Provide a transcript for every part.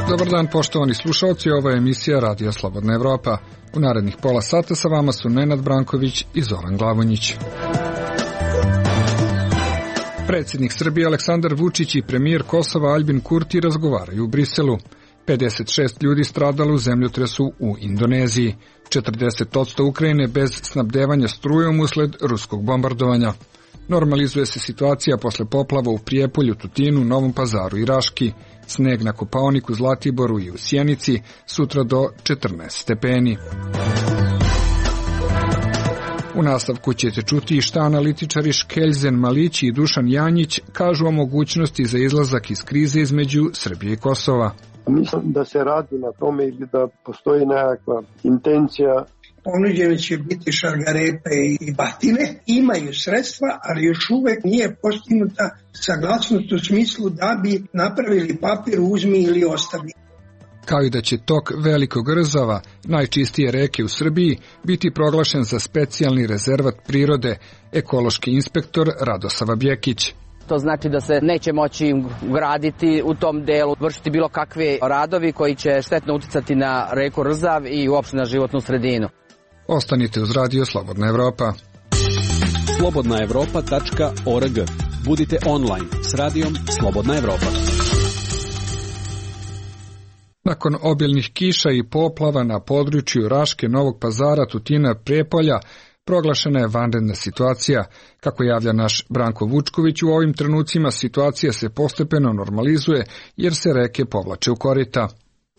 Dobar dan, poštovani slušalci, ovo je emisija Radija Slobodna Evropa. U narednih pola sata sa vama su Nenad Branković i Zoran Glavonjić. Predsjednik Srbije Aleksandar Vučić i premijer Kosova Aljbin Kurti razgovaraju u Briselu. 56 ljudi stradalo u zemljotresu u Indoneziji. 40% Ukrajine bez snabdevanja strujom usled ruskog bombardovanja. Normalizuje se situacija posle poplava u Prijepolju, Tutinu, Novom Pazaru i Raški. Sneg na Kopaoniku, Zlatiboru i u Sjenici, sutra do 14 stepeni. U nastavku ćete čuti šta analitičari Škeljzen Malić i Dušan Janjić kažu o mogućnosti za izlazak iz krize između Srbije i Kosova. Mislim da se radi na tome ili da postoji nekakva intencija. Ponuđene će biti šargarepe i batine, imaju sredstva, ali još uvek nije postignuta saglasnost u smislu da bi napravili papir uzmi ili ostavi. Kao i da će tok Velikog Rzava, najčistije reke u Srbiji, biti proglašen za specijalni rezervat prirode, ekološki inspektor Radosava Bjekić. To znači da se neće moći graditi u tom delu, vršiti bilo kakve radovi koji će štetno uticati na reku Rzav i uopšte na životnu sredinu. Ostanite uz Radio Slobodna Evropa. slobodnaevropa.org. Budite online s radijom Slobodna Evropa. Nakon obilnih kiša i poplava na području Raške, Novog Pazara, Tutina, Prijepolja, proglašena je vanredna situacija. Kako javlja naš Branko Vučković, u ovim trenucima situacija se postepeno normalizuje jer se reke povlače u korita.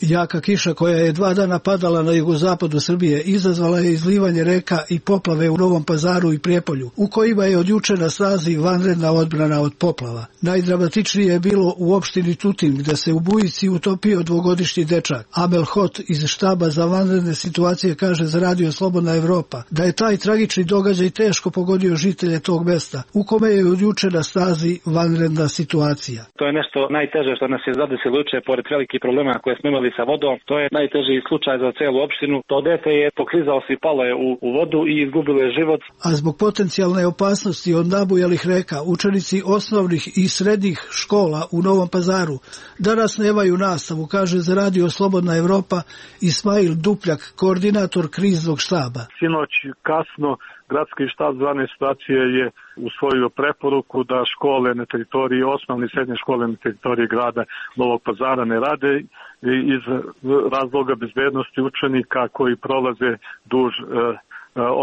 Jaka kiša koja je 2 dana padala na jugozapadu Srbije izazvala je izlivanje reka i poplave u Novom Pazaru i Prijepolju, u kojima je od juče na snazi vanredna odbrana od poplava. Najdramatičnije je bilo u opštini Tutin, gde se u bujici utopio 2-godišnji dečak. Amel Hot iz štaba za vanredne situacije kaže za Radio Slobodna Evropa da je taj tragični događaj teško pogodio žitelje tog mesta, u kome je od juče na snazi vanredna situacija. To je nešto najteže što nas je zadesilo juče, pored velikih problema koje smo imali sa vodom. To je najteži slučaj za celu opštinu. To dete je poklizao se i palo je u vodu i izgubilo je život. A zbog potencijalne opasnosti od nabujalih reka, učenici osnovnih i srednjih škola u Novom Pazaru danas nemaju nastavu, kaže za Radio Slobodna Evropa Ismail Dupljak, koordinator kriznog štaba. Sinoć kasno Gradski štab za vanredne situacije je usvojio preporuku da škole na teritoriji, osnovne i srednje škole na teritoriji grada Novog Pazara ne rade iz razloga bezbednosti učenika koji prolaze duž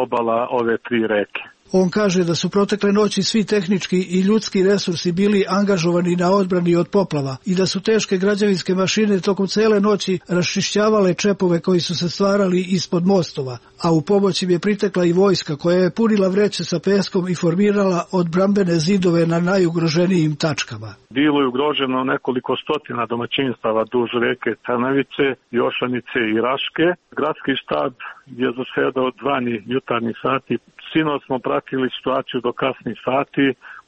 obala ove 3 reke. On kaže da su protekle noći svi tehnički i ljudski resursi bili angažovani na odbrani od poplava i da su teške građevinske mašine tokom cele noći raščišćavale čepove koji su se stvarali ispod mostova, a u pomoć im je pritekla i vojska koja je punila vreće sa peskom i formirala odbrambene zidove na najugroženijim tačkama. Bilo je ugroženo nekoliko stotina domaćinstava duž reke Trnavice, Jošanice i Raške. Gradski štab je zasedao 2 jutarnjih sati. Sinoć smo pratili situaciju do kasnih sati.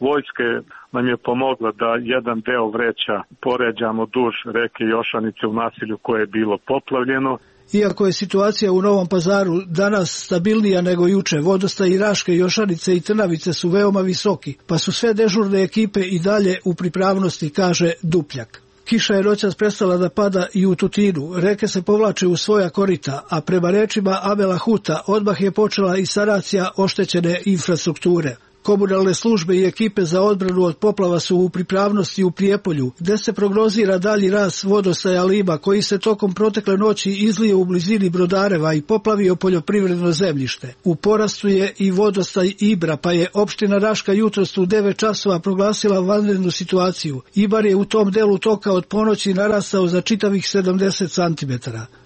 Vojska nam je pomogla da jedan deo vreća poređamo duž reke Jošanice u naselju koje je bilo poplavljeno. Iako je situacija u Novom Pazaru danas stabilnija nego juče, vodostaj i Raške, Jošanice i Trnavice su veoma visoki, pa su sve dežurne ekipe i dalje u pripravnosti, kaže Dupljak. Kiša je noćas prestala da pada i u Tutinu, reke se povlače u svoja korita, a prema rečima Amela Huta odmah je počela i sanacija oštećene infrastrukture. Komunalne službe i ekipe za odbranu od poplava su u pripravnosti u Prijepolju, gde se prognozira dalji rast vodostaja Liba koji se tokom protekle noći izlio u blizini Brodareva i poplavio poljoprivredno zemljište. U porastu je i vodostaj Ibra, pa je opština Raška jutros u 9 časova proglasila vanrednu situaciju. Ibar je u tom delu toka od ponoći narastao za čitavih 70 cm.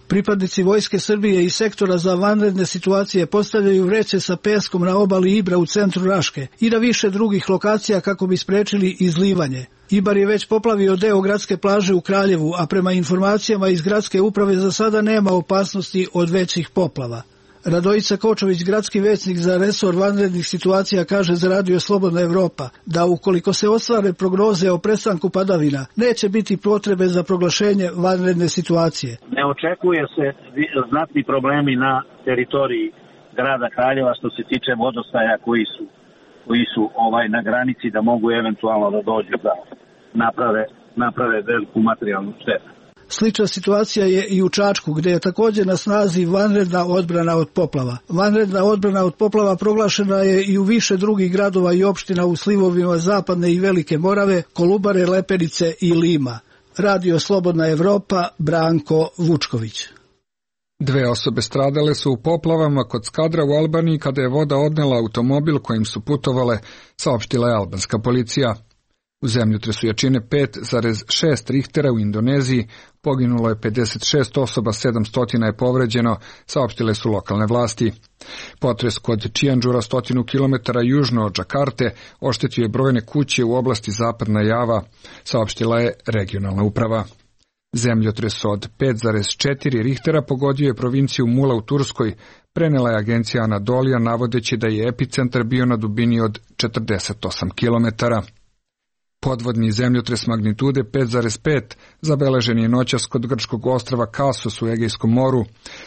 Pripadnici Vojske Srbije i sektora za vanredne situacije postavljaju vreće sa peskom na obali Ibra u centru Raške i na više drugih lokacija kako bi sprečili izlivanje. Ibar je već poplavio deo gradske plaže u Kraljevu, a prema informacijama iz gradske uprave za sada nema opasnosti od većih poplava. Radojica Kočović, gradski većnik za resor vanrednih situacija, kaže za Radio Slobodna Evropa da ukoliko se ostvare prognoze o prestanku padavina, neće biti potrebe za proglašenje vanredne situacije. Ne očekuje se znatni problemi na teritoriji grada Kraljeva što se tiče vodostaja koji su na granici da mogu eventualno da dođu da naprave veliku materijalnu štetu. Slična situacija je i u Čačku, gdje je također na snazi vanredna odbrana od poplava. Vanredna odbrana od poplava proglašena je i u više drugih gradova i opština u slivovima Zapadne i Velike Morave, Kolubare, Leperice i Lima. Radio Slobodna Evropa, Branko Vučković. 2 osobe stradale su u poplavama kod Skadra u Albaniji kada je voda odnela automobil kojim su putovale, saopštila je albanska policija. U zemljotresu jačine 5,6 Richtera u Indoneziji poginulo je 56 osoba, 700 je povređeno, saopštile su lokalne vlasti. Potres kod Čijanđura 100 km južno od Džakarte oštetio je brojne kuće u oblasti Zapadna Java, saopštila je regionalna uprava. Zemljotres od 5,4 Richtera pogodio je provinciju Mula u Turskoj, prenela je agencija Anadolija navodeći da je epicentar bio na dubini od 48 km. Podvodni zemljotres magnitude 5,5 zabeležen je noćas kod grčkog ostrva Kasos u Egejskom moru,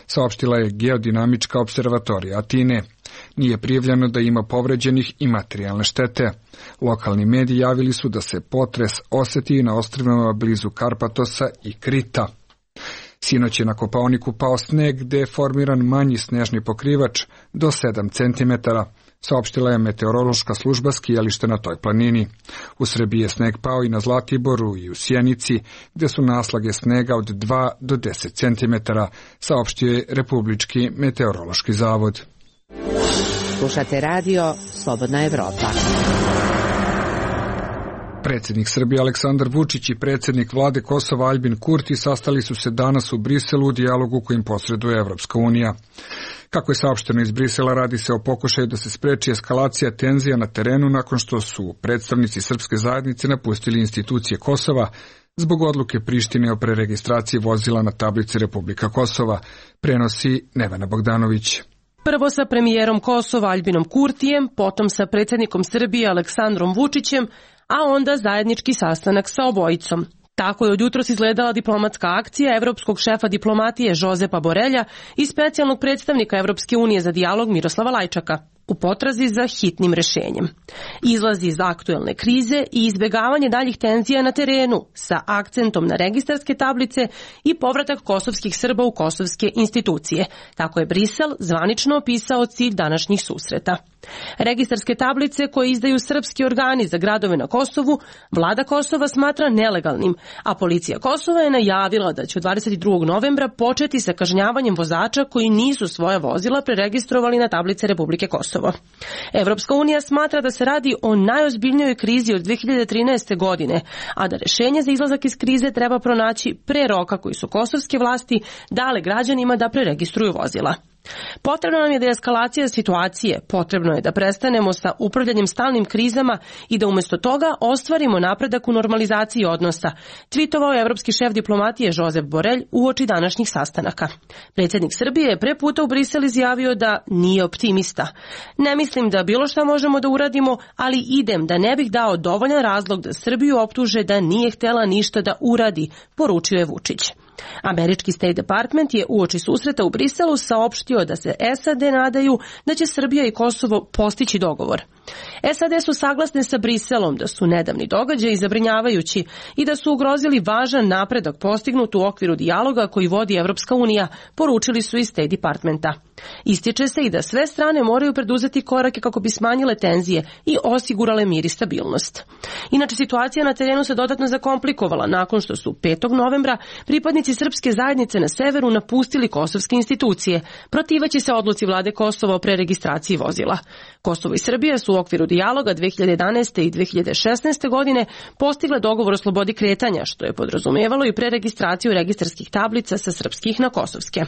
saopštila je geodinamička observatorija Atine. Nije prijavljeno da ima povređenih i materijalne štete. Lokalni mediji javili su da se potres osjeti na ostrvima blizu Karpatosa i Krita. Sinoć je na Kopaoniku pao sneg gde je formiran manji snežni pokrivač do 7 cm, saopštila je meteorološka služba skijališta na toj planini. U Srbiji je sneg pao i na Zlatiboru i u Sjenici, gde su naslage snega od 2 do 10 cm, saopštio je Republički meteorološki zavod. Slušate radio Slobodna Evropa. Predsjednik Srbije Aleksandar Vučić i predsjednik vlade Kosova Aljbin Kurti sastali su se danas u Briselu u dijalogu kojim posreduje Evropska unija. Kako je saopšteno iz Brisela, radi se o pokušaju da se spreči eskalacija tenzija na terenu nakon što su predstavnici srpske zajednice napustili institucije Kosova zbog odluke Prištine o preregistraciji vozila na tablici Republika Kosova, prenosi Nevena Bogdanović. Prvo sa premijerom Kosova Aljbinom Kurtijem, potom sa predsjednikom Srbije Aleksandrom Vučićem, a onda zajednički sastanak sa obojicom. Tako je od jutros izgledala diplomatska akcija evropskog šefa diplomatije Žozepa Borelja i specijalnog predstavnika Evropske unije za dijalog Miroslava Lajčaka u potrazi za hitnim rešenjem. Izlazi iz aktuelne krize i izbjegavanje daljih tenzija na terenu sa akcentom na registarske tablice i povratak kosovskih Srba u kosovske institucije. Tako je Brisel zvanično opisao cilj današnjih susreta. Registarske tablice koje izdaju srpski organi za gradove na Kosovu, vlada Kosova smatra nelegalnim, a policija Kosova je najavila da će od 22. novembra početi sa kažnjavanjem vozača koji nisu svoja vozila preregistrovali na tablice Republike Kosovo. Evropska unija smatra da se radi o najozbiljnijoj krizi od 2013. godine, a da rešenje za izlazak iz krize treba pronaći pre roka koji su kosovske vlasti dale građanima da preregistruju vozila. Potrebno nam je da je eskalacija situacije, potrebno je da prestanemo sa upravljanjem stalnim krizama i da umjesto toga ostvarimo napredak u normalizaciji odnosa, tvitovao je evropski šef diplomatije Žozef Borelj uoči današnjih sastanaka. Predsjednik Srbije je pre puta u Brisel izjavio da nije optimista. Ne mislim da bilo šta možemo da uradimo, ali idem da ne bih dao dovoljan razlog da Srbiju optuže da nije htjela ništa da uradi, poručio je Vučić. Američki State Department je uoči susreta u Briselu saopštio da se SAD nadaju da će Srbija i Kosovo postići dogovor. SAD su saglasne sa Briselom da su nedavni događaji zabrinjavajući i da su ugrozili važan napredak postignut u okviru dijaloga koji vodi Evropska unija, poručili su iz State Departmenta. Ističe se i da sve strane moraju preduzeti korake kako bi smanjile tenzije i osigurale mir i stabilnost. Inače, situacija na terenu se dodatno zakomplikovala nakon što su 5. novembra pripadnici srpske zajednice na severu napustili kosovske institucije, protiveći se odluci vlade Kosova o preregistraciji vozila. Kosovo i Srbija su u okviru dijaloga 2011. i 2016. godine postigle dogovor o slobodi kretanja, što je podrazumevalo i preregistraciju registarskih tablica sa srpskih na kosovske.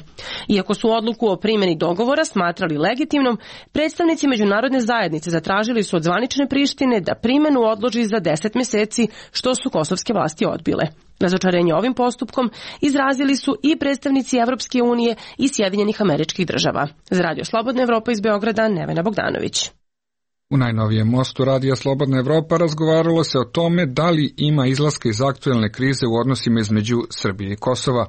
Iako su odluku o primjeni dogovora smatrali legitimnom, predstavnici međunarodne zajednice zatražili su od zvanične Prištine da primjenu odloži za 10 mjeseci, što su kosovske vlasti odbile. Razočarenje ovim postupkom izrazili su i predstavnici Evropske unije i Sjedinjenih Američkih Država. Za Radio Slobodna Evropa iz Beograda, Nevena Bogdanović. U najnovijem mostu Radija Slobodna Evropa razgovaralo se o tome da li ima izlaska iz aktuelne krize u odnosima između Srbije i Kosova.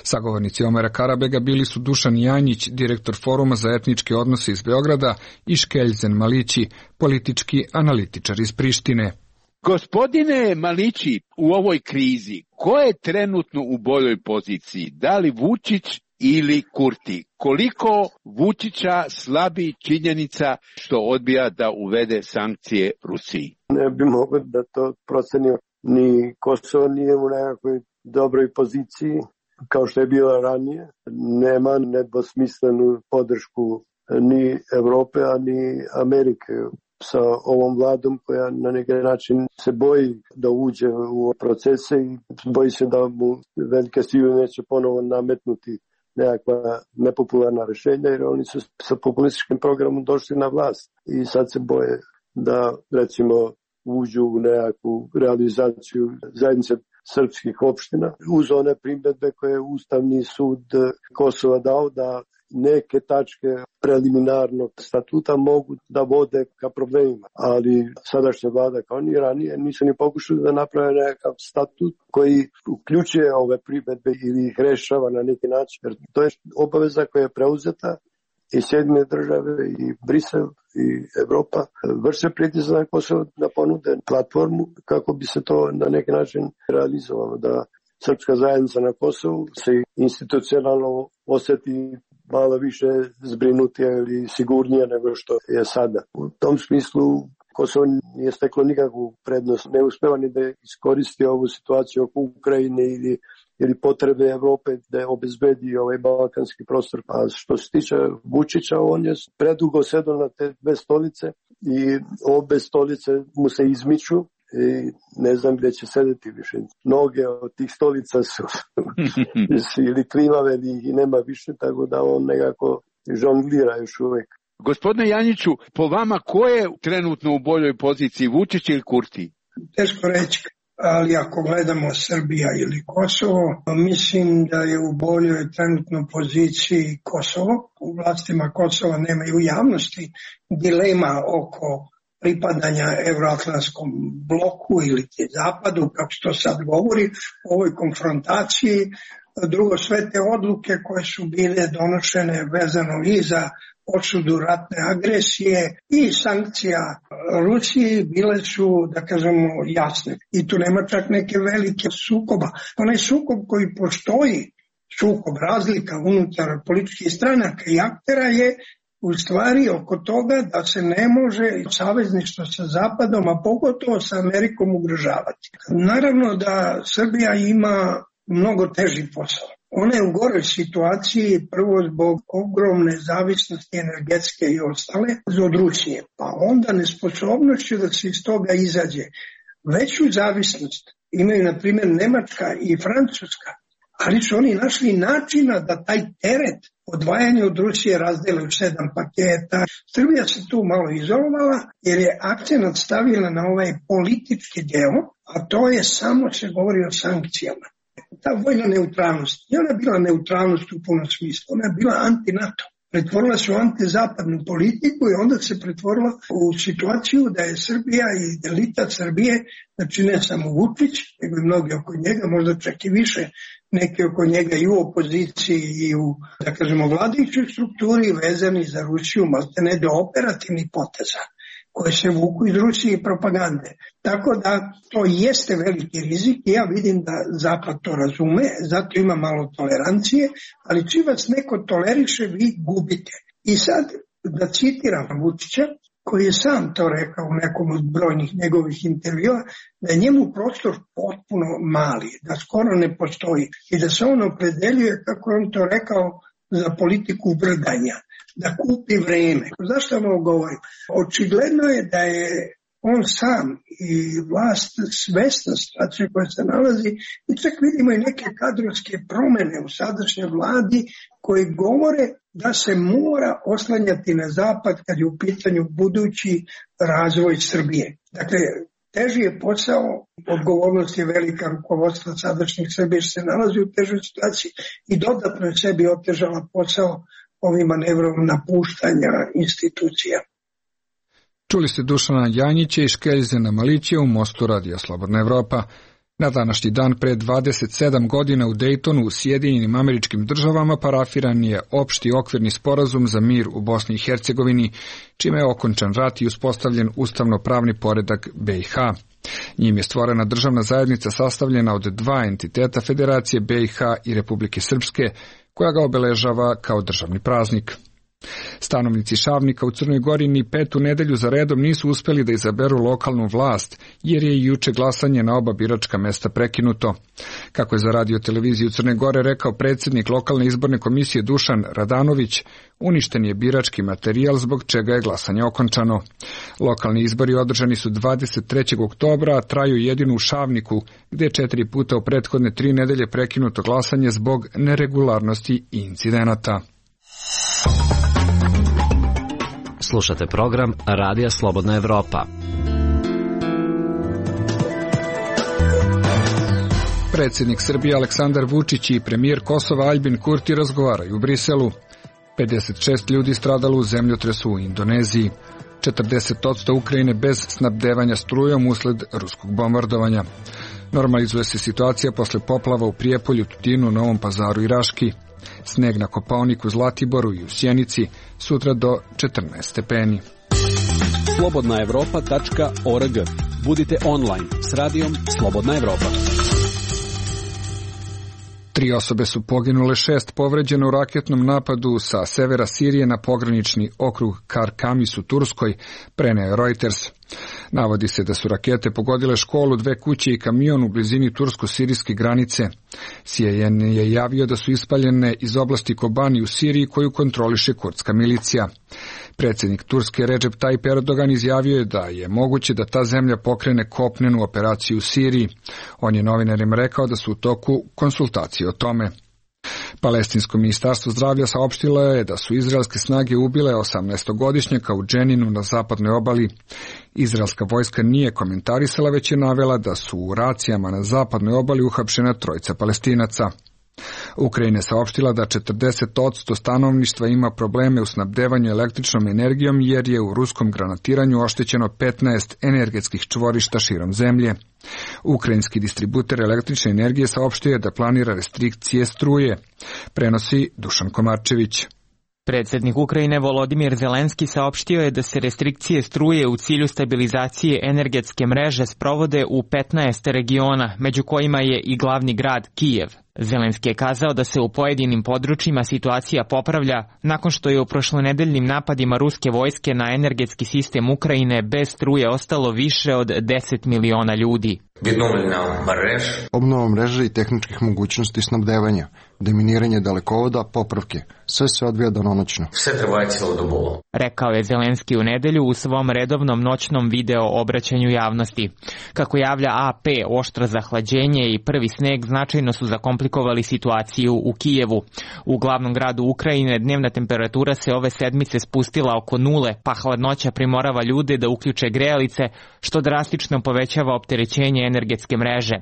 Sagovornici Omera Karabega bili su Dušan Janjić, direktor Foruma za etničke odnose iz Beograda, i Škeljzen Malići, politički analitičar iz Prištine. Gospodine Malići, u ovoj krizi, ko je trenutno u boljoj poziciji? Da li Vučić ili Kurti? Koliko Vučića slabi činjenica što odbija da uvede sankcije Rusiji? Ne bi mogao da to procenio. Ni Kosovo nije u nekakvoj dobroj poziciji kao što je bila ranije. Nema nedvosmislenu podršku ni Evrope, a ni Amerike sa ovom vladom koja na neki način se boji da uđe u procese i boji se da mu velike sile neće ponovo nametnuti nekakva nepopularna rešenja, jer oni su sa populističkim programom došli na vlast i sad se boje da recimo uđu u nekakvu realizaciju zajednice srpskih opština uz one primjedbe koje je Ustavni sud Kosova dao da neke tačke preliminarnog statuta mogu da vode ka problemima, ali sadašnja vlada kao ni ranije nisu ni pokušali da naprave nekakav statut koji uključuje ove primjedbe ili ih rešava na neki način, jer to je obaveza koja je preuzeta i Sjedinjene države i Brisel i Evropa vrše pritisak na Kosovo da ponude platformu kako bi se to na neki način realizovalo, da srpska zajednica na Kosovu se institucionalno oseti malo više zbrinutija ili sigurnija nego što je sada. U tom smislu Kosovo nije steklo nikakvu prednost, ne uspeva ni da iskoristi ovu situaciju oko Ukrajine ili potrebe Evrope da obezbedi ovaj balkanski prostor. A što se tiče Vučića, on je predugo sedao na te dve stolice i obe stolice mu se izmiču i ne znam gde će sedeti više. Noge od tih stolica su ili klimave i nema više, tako da on nekako žonglira još uvek. Gospodine Janjiću, po vama ko je trenutno u boljoj poziciji, Vučić ili Kurti? Teško reći, ali ako gledamo Srbija ili Kosovo, mislim da je u boljoj trenutno poziciji Kosovo. U vlastima Kosova nema i u javnosti dilema oko pripadanja Evroatlantskom bloku ili zapadu, kako se to sad govori, u ovoj konfrontaciji. Drugo, sve te odluke koje su bile donošene vezano i za osudu ratne agresije i sankcija Rusiji bile su, da kažemo, jasne. I tu nema čak neke velike sukoba. Onaj sukob koji postoji, sukob razlika unutar političkih stranaka i aktera je u stvari oko toga da se ne može savezništvo sa Zapadom, a pogotovo sa Amerikom ugrožavati. Naravno da Srbija ima mnogo teži posao. Ona je u goroj situaciji prvo zbog ogromne zavisnosti energetske i ostale od Rusije, pa onda nesposobnošću da se iz toga izađe. Veću zavisnost imaju, na primjer, Nemačka i Francuska, ali su oni našli načina da taj teret odvajanja od Rusije razdele u 7 paketa. Srbija se tu malo izolovala jer je akcent stavila na ovaj politički deo, a to je samo se govori o sankcijama. Ta vojna neutralnost, i ona je bila neutralnost u punom smislu, ona je bila anti-NATO. Pretvorila se u antizapadnu politiku i onda se pretvorila u situaciju da je Srbija i elita Srbije, znači ne samo Vučić, nego i mnogi oko njega, možda čak i više, neki oko njega i u opoziciji i u, da kažemo, vladajućoj strukturi vezani za Rusiju, maltene do operativnih poteza koje se vuku iz Rusije i propagande. Tako da to jeste veliki rizik i ja vidim da Zapad to razume, zato ima malo tolerancije, ali čim vas neko toleriše, vi gubite. I sad, da citiram Vučića, koji je sam to rekao u nekom od brojnih njegovih intervjua, da je njemu prostor potpuno mali, da skoro ne postoji i da se on opredeljuje, kako je on to rekao, za politiku vrdanja, da kupi vreme. Zašto vam ovo govorim? Očigledno je da je on sam i vlast svesna situacije koja se nalazi i čak vidimo i neke kadrovske promene u sadašnjoj vladi koji govore da se mora oslanjati na zapad kad je u pitanju budući razvoj Srbije. Dakle, teži je posao, odgovornost je velika, rukovodstva sadašnjih Srbije što se nalazi u težoj situaciji i dodatno je sebi otežala posao ovim manevrom napuštanja institucija. Čuli ste Dušana Janjića i Škeljzena Malića u Mostu Radija Slobodna Evropa. Na današnji dan pre 27 godina u Dejtonu u Sjedinjenim Američkim Državama parafiran je opšti okvirni sporazum za mir u Bosni i Hercegovini, čime je okončan rat i uspostavljen ustavno-pravni poredak BiH. Njim je stvorena državna zajednica sastavljena od dva entiteta Federacije BiH i Republike Srpske, koja ga obeležava kao državni praznik. Stanovnici Šavnika u Crnoj Gori ni petu nedelju za redom nisu uspeli da izaberu lokalnu vlast, jer je juče glasanje na oba biračka mesta prekinuto. Kako je za radio televiziju Crne Gore rekao predsjednik lokalne izborne komisije Dušan Radanović, uništen je birački materijal zbog čega je glasanje okončano. Lokalni izbori održani su 23. oktobra, a traju jedino u Šavniku, gde je 4 puta u prethodne 3 nedelje prekinuto glasanje zbog neregularnosti i incidenata. Slušate program Radija Slobodna Evropa. Predsjednik Srbije Aleksandar Vučić i premijer Kosova Aljbin Kurti razgovaraju u Briselu. 56 ljudi stradalo u zemljotresu u Indoneziji. 40% Ukrajine bez snabdevanja strujom usled ruskog bombardovanja. Normalizuje se situacija posle poplava u Prijepolju, Tutinu, Novom Pazaru i Raški. Sneg na Kopaoniku, Zlatiboru i u Sjenici, sutra do 14 stepeni. slobodnaevropa.org. Budite online s radijom Slobodna Evropa. 3 osobe su poginule, 6 povređeno u raketnom napadu sa severa Sirije na pogranični okrug Karkamis u Turskoj, preneo je Reuters. Navodi se da su rakete pogodile školu, 2 kuće i kamion u blizini tursko-sirijske granice. CNN je javio da su ispaljene iz oblasti Kobani u Siriji koju kontroliše kurdska milicija. Predsjednik Turske Recep Tayyip Erdogan izjavio je da je moguće da ta zemlja pokrene kopnenu operaciju u Siriji. On je novinarima rekao da su u toku konsultacije o tome. Palestinsko ministarstvo zdravlja saopštilo je da su izraelske snage ubile 18-godišnjaka u Dženinu na zapadnoj obali. Izraelska vojska nije komentarisala, već je navela da su u racijama na zapadnoj obali uhapšena 3 Palestinaca. Ukrajina je saopštila da 40% stanovništva ima probleme u snabdevanju električnom energijom jer je u ruskom granatiranju oštećeno 15 energetskih čvorišta širom zemlje. Ukrajinski distributer električne energije saopštio je da planira restrikcije struje. Prenosi Dušan Komarčević. Predsjednik Ukrajine Volodimir Zelenski saopštio je da se restrikcije struje u cilju stabilizacije energetske mreže sprovode u 15 regiona, među kojima je i glavni grad Kijev. Zelenski je kazao da se u pojedinim područjima situacija popravlja nakon što je u prošlonedeljnim napadima ruske vojske na energetski sistem Ukrajine bez struje ostalo više od 10 miliona ljudi. Obnova mreže i tehničkih mogućnosti snabdevanja, deminiranje dalekovoda, popravke, sve se odvija danonoćno. Rekao je Zelenski u nedelju u svom redovnom noćnom video obraćanju javnosti. Kako javlja AP, oštro zahlađenje i prvi sneg značajno su zakomplikovali situaciju u Kijevu. U glavnom gradu Ukrajine dnevna temperatura se ove sedmice spustila oko 0, pa hladnoća primorava ljude da uključe grejalice, što drastično povećava opterećenje energetske mreže.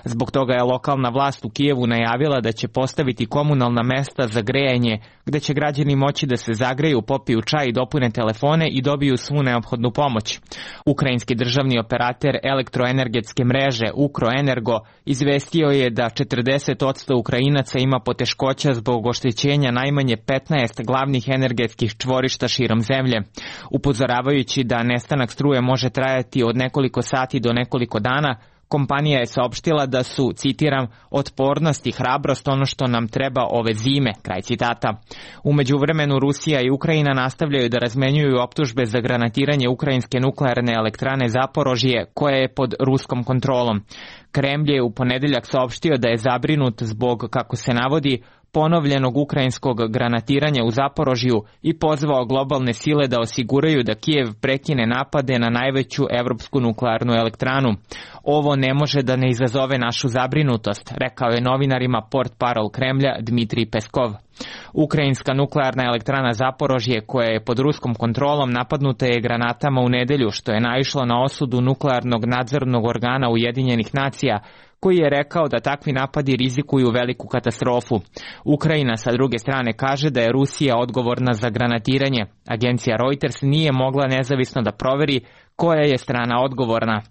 Zbog toga je lokalna vlast u Kijevu najavila da će postaviti komunalna mesta za grejanje, gde će građani moći da se zagreju, popiju čaj, dopune telefone i dobiju svu neophodnu pomoć. Ukrajinski državni operater elektroenergetske mreže Ukroenergo izvestio je da 40% Ukrajinaca ima poteškoća zbog oštećenja najmanje 15 glavnih energetskih čvorišta širom zemlje, upozoravajući da nestanak struje može trajati od nekoliko sati do nekoliko dana. Kompanija je saopštila da su, citiram, otpornost i hrabrost ono što nam treba ove zime, kraj citata. U međuvremenu Rusija i Ukrajina nastavljaju da razmenjuju optužbe za granatiranje ukrajinske nuklearne elektrane Zaporožje, koja je pod ruskom kontrolom. Kremlj je u ponedeljak saopštio da je zabrinut zbog, kako se navodi, ponovljenog ukrajinskog granatiranja u Zaporožju i pozvao globalne sile da osiguraju da Kijev prekine napade na najveću evropsku nuklearnu elektranu. Ovo ne može da ne izazove našu zabrinutost, rekao je novinarima portparol Kremlja Dmitrij Peskov. Ukrajinska nuklearna elektrana Zaporožje, koja je pod ruskom kontrolom, napadnuta je granatama u nedelju, što je naišlo na osudu nuklearnog nadzornog organa Ujedinjenih nacija, koji je rekao da takvi napadi rizikuju veliku katastrofu. Ukrajina sa druge strane kaže da je Rusija odgovorna za granatiranje. Agencija Reuters nije mogla nezavisno da proveri koja je strana odgovorna.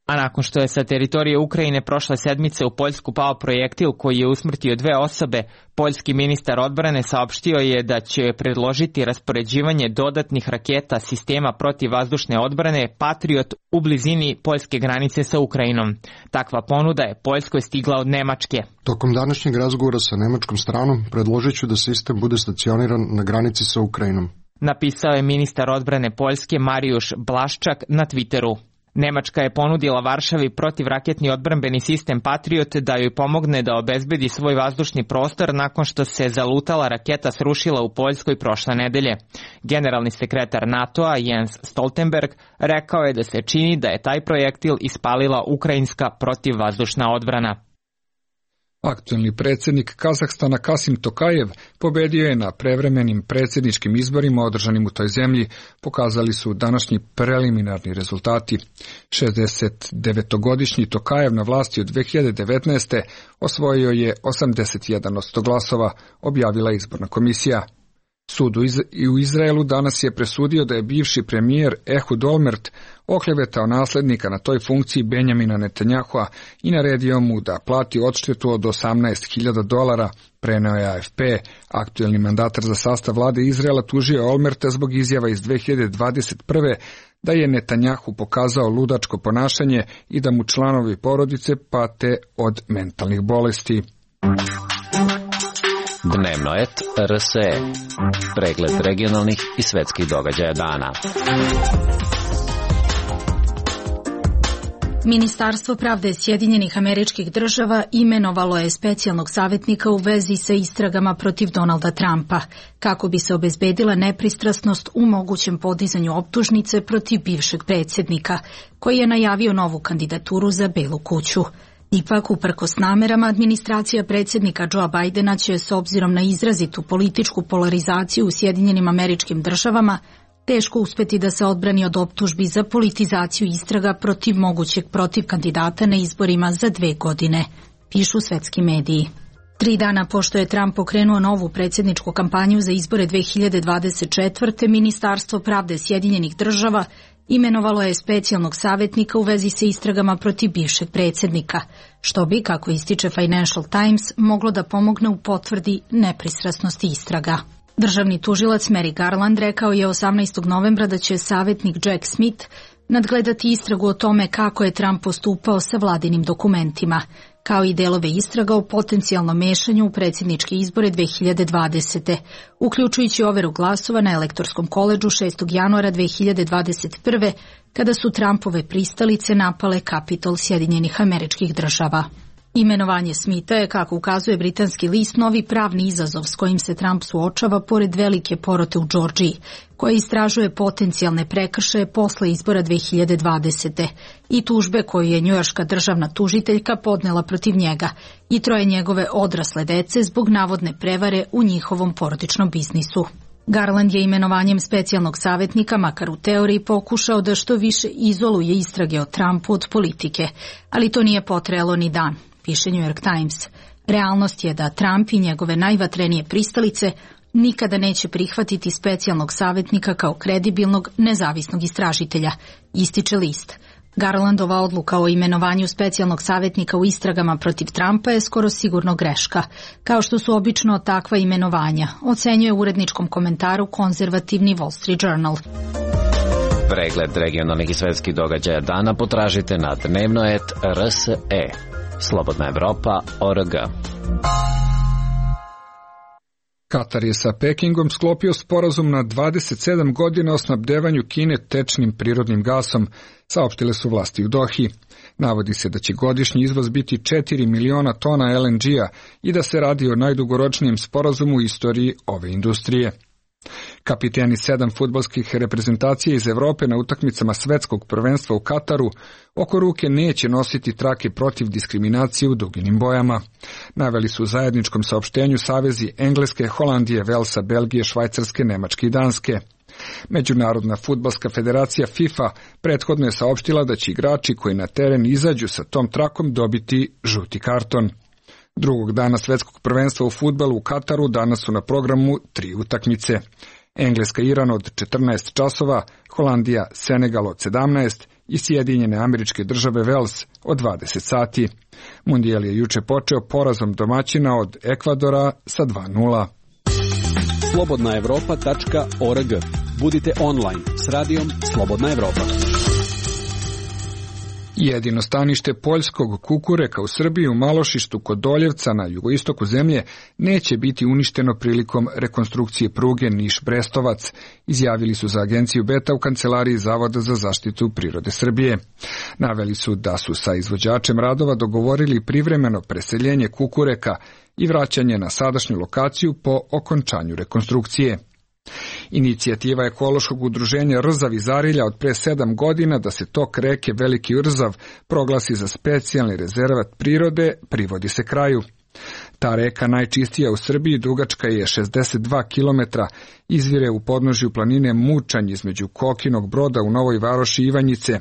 A nakon što je sa teritorije Ukrajine prošle sedmice u Poljsku pao projektil koji je usmrtio 2 osobe, poljski ministar odbrane saopštio je da će predložiti raspoređivanje dodatnih raketa sistema protivvazdušne odbrane Patriot u blizini poljske granice sa Ukrajinom. Takva ponuda je Poljskoj stigla od Nemačke. Tokom današnjeg razgovora sa nemačkom stranom predložit ću da sistem bude stacioniran na granici sa Ukrajinom, napisao je ministar odbrane Poljske Marijuš Blaščak na Twitteru. Nemačka je ponudila Varšavi protivraketni odbrambeni sistem Patriot da joj pomogne da obezbedi svoj vazdušni prostor nakon što se zalutala raketa srušila u Poljskoj prošle nedelje. Generalni sekretar NATO-a Jens Stoltenberg rekao je da se čini da je taj projektil ispalila ukrajinska protivvazdušna odbrana. Aktuelni predsjednik Kazahstana Kasim Tokajev pobedio je na prevremenim predsjedničkim izborima održanim u toj zemlji, pokazali su današnji preliminarni rezultati. 69-godišnji Tokajev na vlasti od 2019. osvojio je 81% glasova, objavila izborna komisija. Sud u Izraelu danas je presudio da je bivši premijer Ehud Olmert oklevetao naslednika na toj funkciji Benjamina Netanjahua i naredio mu da plati odštetu od $18.000, preneo je AFP. Aktuelni mandatar za sastav vlade Izraela tužio Olmerta zbog izjava iz 2021. da je Netanjahu pokazao ludačko ponašanje i da mu članovi porodice pate od mentalnih bolesti. Dnevno et RSE. Pregled regionalnih i svetskih događaja dana. Ministarstvo pravde Sjedinjenih Američkih Država imenovalo je specijalnog savjetnika u vezi sa istragama protiv Donalda Trumpa, kako bi se obezbedila nepristrasnost u mogućem podizanju optužnice protiv bivšeg predsjednika, koji je najavio novu kandidaturu za Belu kuću. Ipak, uprkos namerama, administracija predsjednika Joea Bidena će, s obzirom na izrazitu političku polarizaciju u Sjedinjenim Američkim Državama, teško uspeti da se odbrani od optužbi za politizaciju istraga protiv mogućeg protivkandidata na izborima za 2 godine, pišu svetski mediji. 3 dana pošto je Trump pokrenuo novu predsjedničku kampanju za izbore 2024. Ministarstvo pravde Sjedinjenih Država imenovalo je specijalnog savjetnika u vezi sa istragama protiv bivšeg predsjednika, što bi, kako ističe Financial Times, moglo da pomogne u potvrdi nepristrasnosti istraga. Državni tužilac Merrick Garland rekao je 18. novembra da će savjetnik Jack Smith nadgledati istragu o tome kako je Trump postupao sa vladinim dokumentima, kao i delove istraga o potencijalnom mešanju u predsjedničke izbore 2020. uključujući overu glasova na Elektorskom koledžu 6. januara 2021. kada su Trumpove pristalice napale Kapitol Sjedinjenih Američkih Država. Imenovanje Smitha je, kako ukazuje britanski list, novi pravni izazov s kojim se Trump suočava pored velike porote u Džordžiji, koja istražuje potencijalne prekršaje posle izbora 2020. i tužbe koju je njujorška državna tužiteljka podnela protiv njega i 3 njegove odrasle dece zbog navodne prevare u njihovom porodičnom biznisu. Garland je imenovanjem specijalnog savjetnika, makar u teoriji, pokušao da što više izoluje istrage o Trumpu od politike, ali to nije potrajalo ni dan, piše New York Times. Realnost je da Trump i njegove najvatrenije pristalice nikada neće prihvatiti specijalnog savjetnika kao kredibilnog, nezavisnog istražitelja, ističe list. Garlandova odluka o imenovanju specijalnog savjetnika u istragama protiv Trumpa je skoro sigurno greška, kao što su obično takva imenovanja, ocenjuje u uredničkom komentaru konzervativni Wall Street Journal. Pregled regionalnih i svetskih događaja dana potražite na dnevno et RSE. Slobodna Evropa.org. Katar je sa Pekingom sklopio sporazum na 27 godina o snabdevanju Kine tečnim prirodnim gasom, saopštile su vlasti u Dohi. Navodi se da će godišnji izvoz biti 4 miliona tona LNG-a i da se radi o najdugoročnijem sporazumu u istoriji ove industrije. Kapiteni 7 fudbalskih reprezentacija iz Evrope na utakmicama svetskog prvenstva u Kataru oko ruke neće nositi trake protiv diskriminacije u duginim bojama. Naveli su u zajedničkom saopštenju savezi Engleske, Holandije, Velsa, Belgije, Švajcarske, Nemačke i Danske. Međunarodna fudbalska federacija FIFA prethodno je saopštila da će igrači koji na teren izađu sa tom trakom dobiti žuti karton. Drugog dana svetskog prvenstva u fudbalu u Kataru danas su na programu 3 utakmice. Engleska Iran od 14 časova, Holandija Senegal od 17 i Sjedinjene Američke Države Vels od 20 sati. Mundijal je juče počeo porazom domaćina od Ekvadora sa 2:0. Slobodnaevropa.org. Budite online s radijom Slobodna Evropa. Jedino stanište poljskog kukureka u Srbiji u Malošištu kod Doljevca na jugoistoku zemlje neće biti uništeno prilikom rekonstrukcije pruge Niš-Brestovac, izjavili su za agenciju Beta u kancelariji Zavoda za zaštitu prirode Srbije. Naveli su da su sa izvođačem radova dogovorili privremeno preseljenje kukureka i vraćanje na sadašnju lokaciju po okončanju rekonstrukcije. Inicijativa ekološkog udruženja Rzav iz Arilja od pre 7 godina da se tok reke Veliki Rzav proglasi za specijalni rezervat prirode privodi se kraju. Ta reka, najčistija u Srbiji, dugačka je 62 km, izvire u podnožju planine Mučanj između Kokinog Broda u Novoj Varoši i Ivanjice.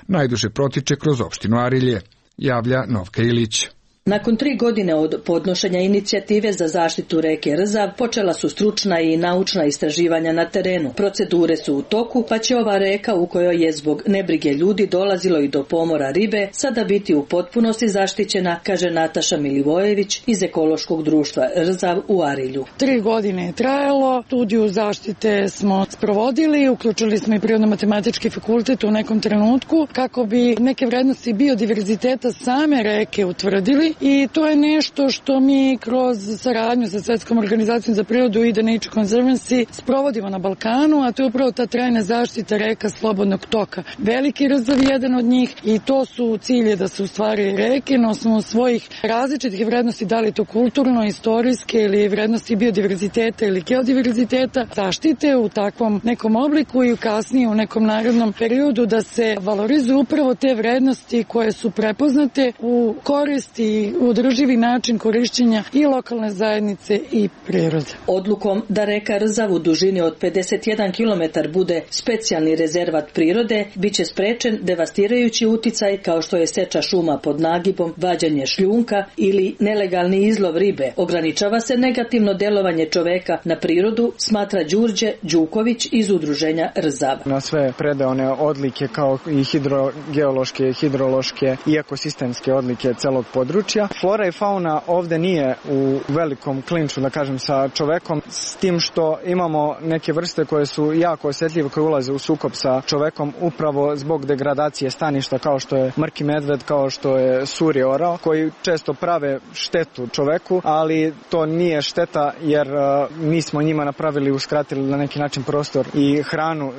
Najduže protiče kroz opštinu Arilje, javlja Novka Ilić. Nakon 3 godine od podnošenja inicijative za zaštitu reke Rzav, počela su stručna i naučna istraživanja na terenu. Procedure su u toku, pa će ova reka, u kojoj je zbog nebrige ljudi dolazilo i do pomora ribe, sada biti u potpunosti zaštićena, kaže Nataša Milivojević iz ekološkog društva Rzav u Arilju. 3 godine je trajalo, studiju zaštite smo sprovodili, uključili smo i Prirodno-matematički fakultet u nekom trenutku, kako bi neke vrednosti biodiverziteta same reke utvrdili. I to je nešto što mi kroz saradnju sa Svetskom organizacijom za prirodu i The Nature Conservancy sprovodimo na Balkanu, a to je upravo ta trajna zaštita reka slobodnog toka. Veliki Rzav je jedan od njih i to su cilje da se u stvari reke na osnovu svojih različitih vrednosti, da li to kulturno, istorijske ili vrednosti biodiverziteta ili geodiverziteta, zaštite u takvom nekom obliku i kasnije u nekom narednom periodu da se valorizuju upravo te vrednosti koje su prepoznate u koristi u održivi način korišćenja i lokalne zajednice i prirode. Odlukom da reka Rzav u dužini od 51 km bude specijalni rezervat prirode, biće sprečen devastirajući uticaj kao što je seča šuma pod nagibom, vađanje šljunka ili nelegalni izlov ribe. Ograničava se negativno delovanje čoveka na prirodu, smatra Đurđe Đuković iz udruženja Rzav. Na sve predeone odlike kao i hidrogeološke, hidrološke i ekosistemske odlike celog područja. Flora i fauna ovde nije u velikom klinču, da kažem, sa čovekom, s tim što imamo neke vrste koje su jako osjetljive, koje ulaze u sukob sa čovekom upravo zbog degradacije staništa, kao što je mrki medved, kao što je suri orao, koji često prave štetu čoveku, ali to nije šteta jer mi smo njima napravili, uskratili na neki način prostor i hranu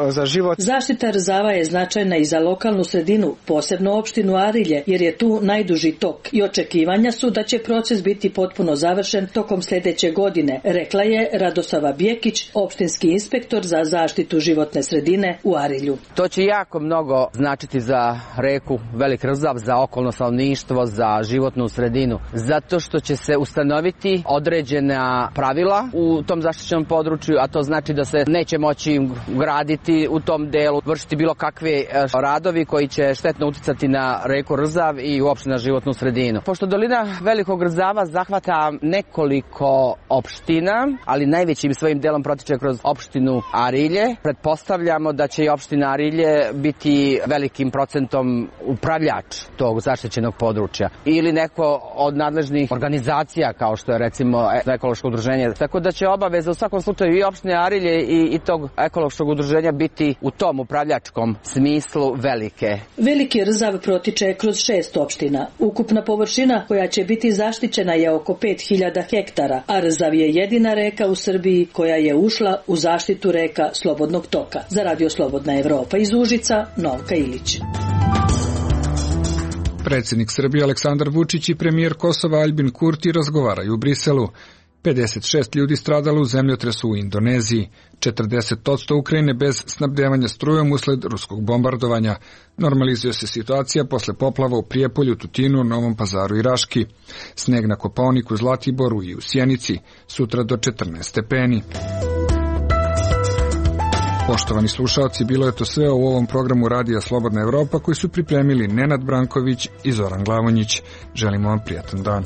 za život. Zaštita Rzava je značajna i za lokalnu sredinu, posebno opštinu Arilje, jer je tu najduži tok i očekivanja su da će proces biti potpuno završen tokom sljedeće godine, rekla je Radosava Bjekić, opštinski inspektor za zaštitu životne sredine u Arilju. To će jako mnogo značiti za reku Velik Rzav, za okolno stanovništvo, za životnu sredinu, zato što će se ustanoviti određena pravila u tom zaštićenom području, a to znači da se neće moći graditi u tom delu, vršiti bilo kakve radovi koji će štetno uticati na reku Rzav i uopšte na životnu sredinu. Pošto dolina Velikog Rzava zahvata nekoliko opština, ali najvećim svojim delom protiče kroz opštinu Arilje, pretpostavljamo da će i opština Arilje biti velikim procentom upravljač tog zaštićenog područja ili neko od nadležnih organizacija kao što je recimo ekološko udruženje. Tako da će obaveza u svakom slučaju i opštine Arilje i tog ekološkog udruženja biti u tom upravljačkom smislu velike. Veliki Rzav protiče kroz 6 opština. Ukupna površina koja će biti zaštićena je oko 5000 hektara, a Rzav je jedina reka u Srbiji koja je ušla u zaštitu reka slobodnog toka. Za Radio Slobodna Evropa iz Užica, Novka Ilić. Predsjednik Srbije Aleksandar Vučić i premijer Kosova Aljbin Kurti razgovaraju u Briselu. 56 ljudi stradalo u zemljotresu u Indoneziji, 40% Ukrajine bez snabdevanja strujom usled ruskog bombardovanja. Normalizuje se situacija posle poplava u Prijepolju, Tutinu, Novom Pazaru i Raški. Sneg na Kopaoniku, Zlatiboru i u Sjenici, sutra do 14 stepeni. Poštovani slušalci, bilo je to sve u ovom programu Radija Slobodna Evropa koji su pripremili Nenad Branković i Zoran Glavonjić. Želimo vam prijatan dan.